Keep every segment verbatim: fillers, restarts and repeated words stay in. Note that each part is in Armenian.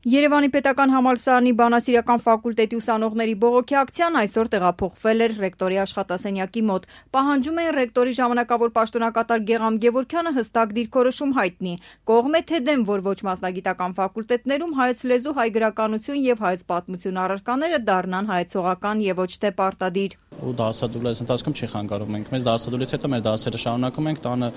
Երևանի պետական համալսարանի բանասիրական ֆակուլտետի ուսանողների բողոքի ակցիան այսօր տեղափոխվել էր ռեկտորի աշխատասենյակի մոտ։ Պահանջում էին ռեկտորի ժամանակավոր պաշտոնակատար Գեղամ Գևորգյանը հստակ դիրքորոշում հայտնի, կողմ է թե դեմ, որ ոչ մասնագիտական ֆակուլտետներում հայոց լեզու, հայ գրականություն եւ հայոց պատմություն առարկաները դառնան հայեցողական եւ ոչ թե պարտադիր։ Ու դասադուլից ընթացքում չի խանգարում ենք։ Մեզ դասադուլից հետո մեր դասերը շարունակում ենք, տանը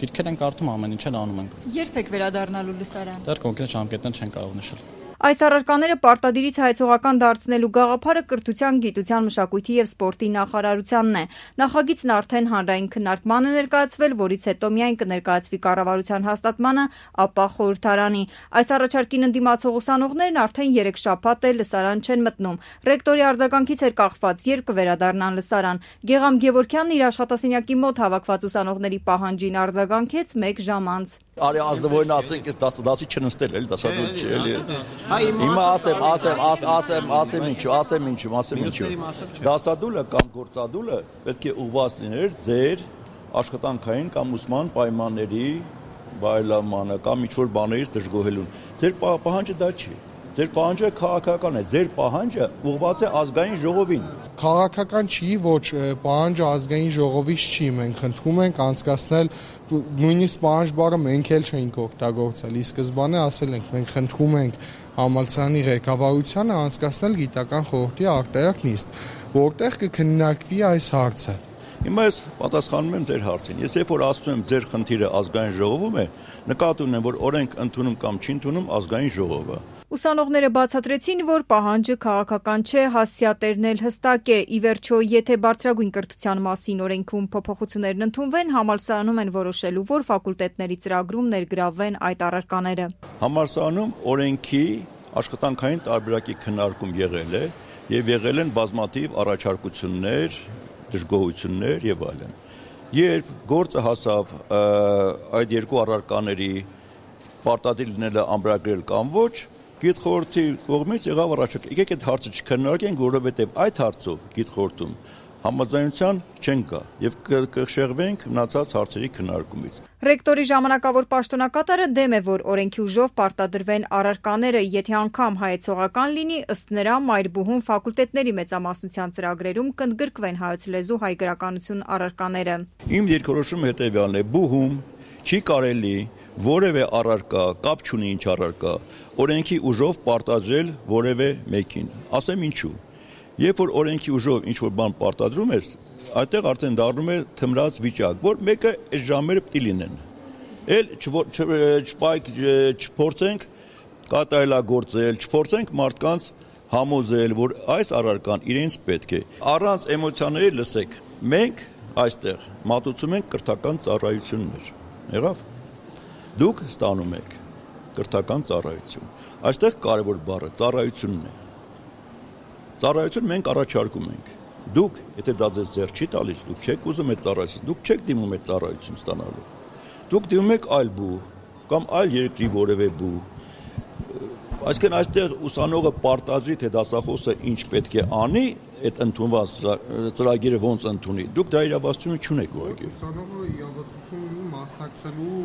գիրքեր ենք կարդում, ամեն ինչ էլ անում ենք։ Երբ եք վերադառնալու լսարան։ Դեռ կոնկրետ ժամկետներ չեն կարող նշել։ Այս առարկաները պարտադիրից հայեցողական դարձնելու գաղափարը կրթության, գիտության, մշակույթի եւ սպորտի նախարարությանն է։ Նախագիծն արդեն հանրային քննարկման է ներկայացվել, որից հետո միայն կներկայացվի կառավարության հաստատմանը, ապա խորհրդարանի։ Այս առաջարկին ընդդիմացող ուսանողներն արդեն երեք շաբաթ է լսարան չեն մտնում։ Ռեկտորի արձագանքից էր կախված, երբ կվերադառնան լսարան։ Գեղամ Գևորգյանն իր աշխատասենյակի մոտ հավաքված ուսանողների պահանջին արձագանքեց մեկ ժամ անց։ Արի ազնվորն ասենք, ես դասը դասի չնստել էլի, դասադուլ չի էլի։ Հիմա ասեմ, ասեմ, ասեմ, ասեմ ինչու, ասեմ ինչու, ասեմ ինչու։ Դասադուլը կամ գործադուլը պետք է ուղղված լիներ ձեր աշխատանքային կամ ուսման պայմանների բարելավմանը կամ ինչ-որ բաներից դժգոհելուն։ Ձեր պահանջը դա չի։ Ձեր պահանջը քաղաքական է, ձեր պահանջը ուղղված է ազգային ժողովին։ Քաղաքական չի, ոչ, պահանջը ազգային ժողովից չի, մենք խնդրում ենք անցկացնել նույնիսկ պահանջ բառը մենք էլ չենք օգտագործել, ի սկզբանե ասել ենք, մենք խնդրում ենք համալսարանի ղեկավարությանը անցկացնել գիտական խորհրդի արտահերթ նիստ, որտեղ կքննարկվի այս հարցը։ Հիմա ես պատասխանում եմ ձեր հարցին։ Ես երբ որ ասում եմ ձեր խնդիրը ազգային ժողովում է, նկատի ունեմ, որ օրենք ընդունում կամ չի ընդունում ազգային ժողովը։ Ուսանողները բացատրեցին, որ պահանջը քաղաքական չէ, հասցեատերն էլ հստակ է։ Ի վերջո, եթե բարձրագույն կրթության մասին օրենքում փոփոխություններն ընդունվեն, համալսարանում են որոշելու, որ ֆակուլտետների ծրագրում ներգրավվեն այդ առարկաները։ Համալսարանում օրենքի աշխատանքային տարբերակի քննարկում եղել է եւ եղել են բազմաթիվ առաջարկություններ, դժգոհություններ եւ այլն։ Երբ գործը հասավ այդ երկու առարկաների պարտադիր լինելը ամրագրել կամ ոչ, գիտխորհրդի կողմից եղավ առաջարկ։ Եկեք այդ հարցը չքննարկենք, որովհետև այդ հարցով գիտխորհրդում համաձայնության չեն գա եւ կշեղվենք մնացած հարցերի քննարկումից։ Ռեկտորի ժամանակավոր պաշտոնակատարը դեմ է, որ օրենքի ուժով պարտադրվեն առարկաները, եթե անգամ հայեցողական լինի, ըստ նրա մայրբուհում ֆակուլտետների մեծամասնության ծրագրերում կընդգրկվեն հայոց լեզու, հայ գրականություն առարկաները։ Իմ երկրորոշումը հետեւյալն է. բուհում չի կարելի որևէ առարկա, կապ չունի ինչ առարկա, օրենքի ուժով պարտադրել որևէ մեկին։ Ասեմ ինչու։ Երբ որ օրենքի ուժով ինչ-որ բան պարտադրում ես, այդտեղ արդեն դառնում է թմրած վիճակ, որ մեկը այս ժամերը պետք է լինեն։ Էլ չփորձենք կատարելագործել, չփորձենք մարդկանց համոզել, որ այս առարկան իրենց պետք է։ Առանց էմոցիաների լսեք, մենք այստեղ մատուցում ենք կրթական ծառայություններ։ Եղավ։ Դուք ստանում եք կրթական ծառայություն։ Այստեղ կարևոր բառը ծառայությունն է։ Ծառայություն մենք առաջարկում ենք։ Դուք, եթե դա ձեզ ձեռք չի տալիս, դուք չեք ուզում այդ ծառայություն, դուք չեք դիմում այդ ծառայություն ստանալու։ Դուք դիմում եք այլ բու կամ այլ երկրի որևէ բու։ Այսինքն այստեղ ուսանողը պարտադրի, թե դասախոսը ինչ պետք է անի, այդ ընդունված ծրագիրը ոնց ընդունի։ Դուք դա իրավասություն չունեք ուղղակի։ Ուսանողը իրավասություն ունի մասնակցելու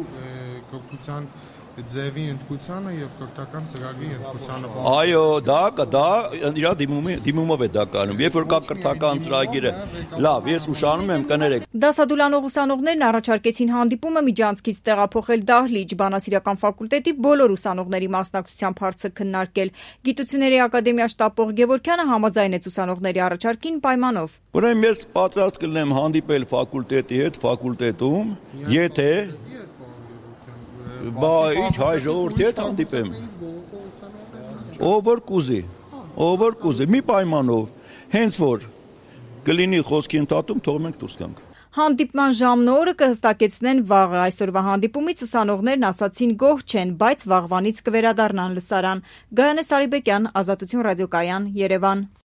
կրթության ձևի ընդգծանը եւ կրթական ծրագրի ընդգծանը։ Այո, դա դա իրա դիմումով է դա կանում։ Երբ որ կա կրթական ծրագիրը, լավ, ես ուշանում եմ կներեք։ Դասադուլանող ուսանողներն առաջարկեցին հանդիպումը միջանցքից տեղափոխել դահլիճ, բանասիրական ֆակուլտետի բոլոր ուսանողների մասնակցությամբ հարցը քննարկել։ Գիտությունների ակադեմիա շտաբող Գևորգյանը համաձայնեց ուսանողների առաջարկին պայմանով։ Ուրեմն ես պատրաստ կլինեմ հանդիպել ֆակուլտետի հետ ֆակուլտետում, եթե Բա ինչ հայ ժողովրդի հետ հանդիպեմ։ Ով որ կուզի, ով որ կուզի, մի պայմանով, հենց որ կլինի խոսքի ընդհատում, թող մենք դուրս գանք։ Հանդիպման ժամն ու օրը կհստակեցնեն վաղը։ Այսօրվա հանդիպումից ուսանողներն ասացին գոհ չեն, բայց վաղվանից կվերադառնան լսարան։ Գայանե Սարիբեկյան, Ազատություն ռադիոկայան, Երևան։